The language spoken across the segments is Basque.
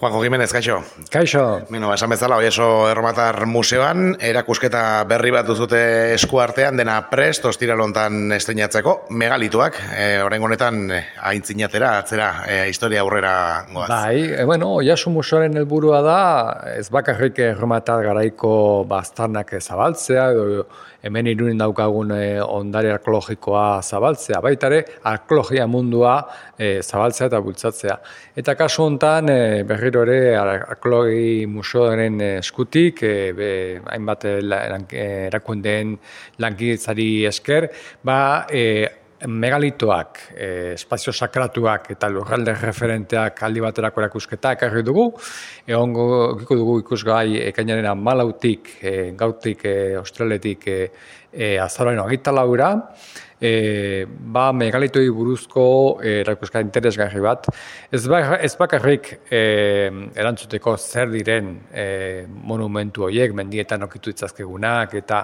Juanjo Jimenez, kaixo. Kaixo. Beno, esan bezala, Oieso Erromatar Museoan, erakusketa berri bat duzute esku artean, dena prest, ostiralontan estreinatzeko, megalituak, orain honetan aintzinatera, atzera, historia aurrera goaz. Bai, Oieso Museoaren helburua da, ez bakarrik Erromatar garaiko baztarnak zabaltzea, edo hemen Irunen daukagun ondare arkeologikoa zabaltzea, baita ere arkeologia mundua zabaltzea eta bultzatzea. Eta kasu honetan, berriro ere arkeologi museoaren eskutik, hainbat erakundeen lankidetzari esker, megalitoak, espazio sakratuak eta lurralde referenteak aldi baterako erakusketa ekarri dugu. Egongo dugu ikusgai ekainaren 14-tik, gautik, ostraletik, azaroaren 24-ra. Megalitoi buruzko erakusketa interesgarri bat. Ez bakarrik erantzuteko zer diren monumentu horiek, mendietan okitu ditzazkegunak, eta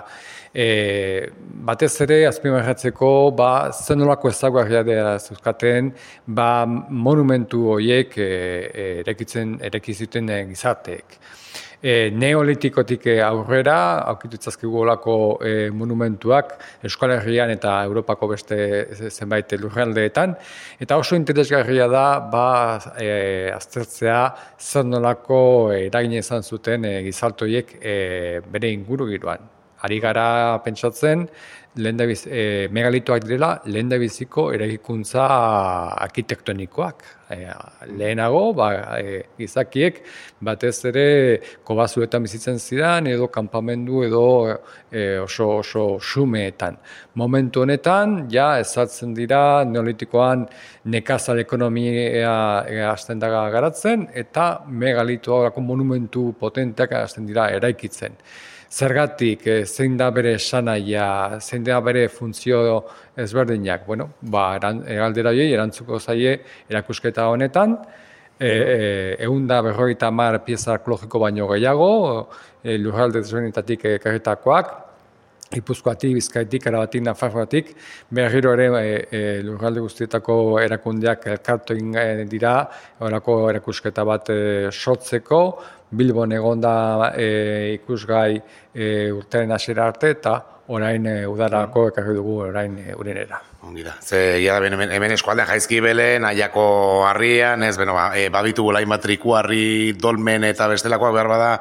batez ere azpimarratzeko zen nolako ezaugarria dela zuzkaten monumentu horiek ereki zuten gizarteek. Neolitikotik aurrera, aurkitu ditzazkegu olako monumentuak Euskal Herrian eta Europako beste zenbait lurraldeetan, eta oso interesgarria da aztertzea zer nolako eragina izan zuten gizarte horiek bere ingurugiroan. Ari gara pentsatzen, megalitoak direla lehendabiziko eraikuntza arkitektonikoak. Lehenago, gizakiek batez ere kobazuetan bizitzen ziren edo kanpamendu edo oso xumeetan. Momentu honetan, ezartzen dira neolitikoan nekazal ekonomia hasten da garatzen eta megalitoak monumentu potenteak hasten dira eraikitzen. Zergatik, zein da bere esanaia, zein da bere funtzio ezberdinak. Galdera horiei erantzuko zaie erakusketa honetan, 150 pieza arkeologiko baino gehiago, lurralde desberdinetatik ekarritakoak, Gipuzkoatik, Bizkaitik, Arabatik, Nafarroatik, berriro ere lurralde guztietako erakundeak elkartu egin dira, horako erakusketa bat sortzeko, Bilbon egonda ikusgai urtearen hasiera arte eta orain udarako ekarri dugu orain urenera. Ongi da. Hemen eskualdean Jaizkibelen, Aiako harrian, babitu gula hainbat trikuharri, dolmen eta bestelakoak behar bada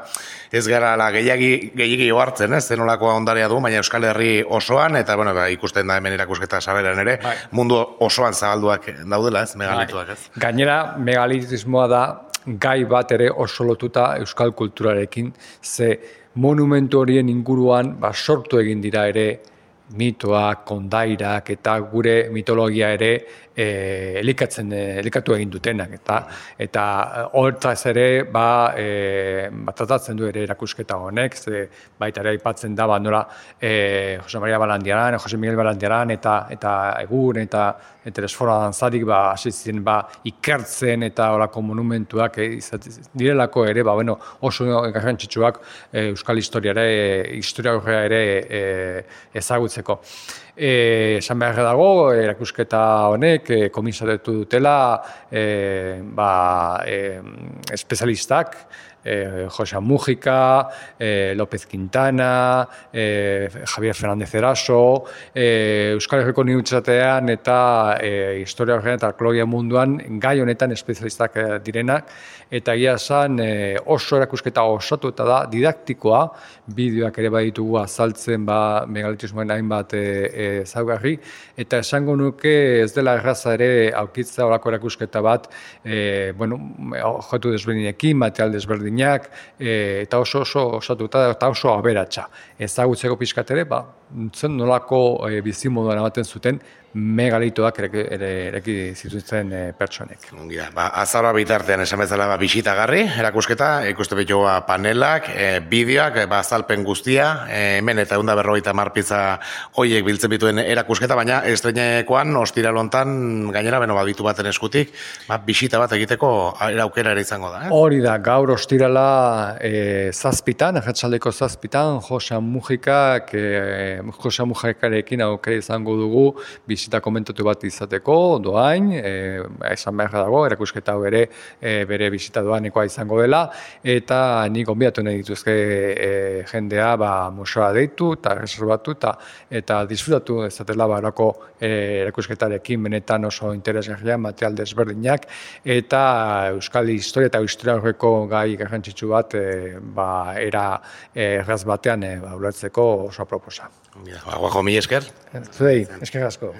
ez gara gehiagi ohartzen, zenolako ondarea du, baina Euskal Herri osoan, eta ikusten da hemen erakusketa saberan ere, mundu osoan zabalduak daudela, megalituak. Gainera, megalitismoa da gai bat ere oso lotuta euskal kulturarekin, ze monumentu horien inguruan sortu egin dira ere mitoak, kondairak eta gure mitologia ere elikatu egin dutenak. Eta hortaz ere tratatzen du ere erakusketa honek, ze baita ere aipatzen da nola Jose Maria Balandiaran, Jose Miguel Balandiaran eta Egun eta Esfora Dantzarik hasi ziren ikertzen eta horako monumentuak direlako ere oso garrantzitsuak euskal historia ere ezagutzeko. Esan behar dago, erakusketa honek komisaretu dutela espezialistak, Jose Mújica, López Quintana, Javier Fernández Eraso, Euskal Herriko Unibertsitatean eta historia horrean eta arkeologia munduan gai honetan espezialistak direnak, eta egia esan oso erakusketa osatu eta da didaktikoa, bideoak ere baditugu azaltzen megalitismoen hainbat ezaugarri, eta esango nuke ez dela erraza ere aurkitzea horako erakusketa bat, objektu desberdinekin, material desberdinak, eta oso osatuta eta oso aberatsa. Ezagutzeko pixkat ere, zen nolako bizimoduan ematen zuten megalitoak ereki zituzten pertsonek. Azaroa bitartean esan bezala bisitagarri, erakusketa, ikuste betxoa panelak, bideoak, azalpen guztia, hemen eta 150 pizza hoiek biltzen bituen erakusketa, baina estreinekoan, ostiralontan, gainera, baditu baten eskutik, bisita bat egiteko aukera ere izango da. Hori da, gaur ostirala 7:00, arratsaldeko 7:00, Jose Mújikak Jose Mujikarekin aukera izango dugu bisita komentatu bat izateko, doain, esan behar dago, erakusketa hau ere bere bisita doanekoa izango dela, eta nik gonbidatu nahi dituzke jendea museoa deitu eta reservatu eta disfrutatu ezatela barako erakusketarekin benetan oso interesgarria, material desberdinak, eta euskal historia eta historiaurreko gai garrantzitsu bat era erraz batean ulertzeko oso aproposa. Guajo, mila esker. Zudei, esker asko.